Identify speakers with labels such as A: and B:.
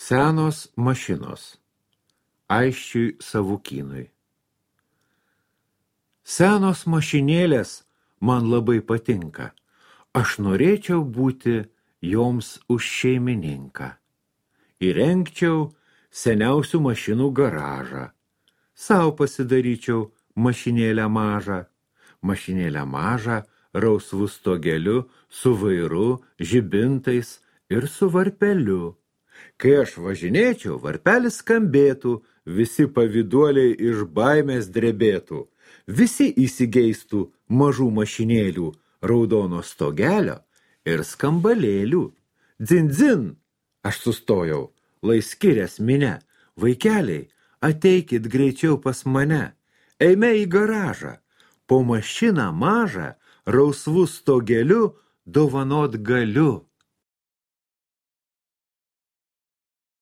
A: Senos mašinos. Aisčiui Savukynui. Senos mašinėlės man labai patinka. Aš norėčiau būti joms už šeimininką. Įrengčiau seniausių mašinų garažą. Sau pasidaryčiau mašinėlę mažą. Mašinėlę mažą, rausvų stogeliu, su vairu, žibintais ir su varpeliu. Kai aš važinėčiau, varpelis skambėtų, visi pavyduoliai iš baimės drebėtų. Visi įsigeistų mažų mašinėlių, raudono stogelio ir skambalėlių. Dzin, dzin! Aš sustojau, lai skirias minia. Vaikeliai, ateikit greičiau pas mane. Eime į garažą. Po mašiną mažą, rausvų stogeliu dovanot galiu.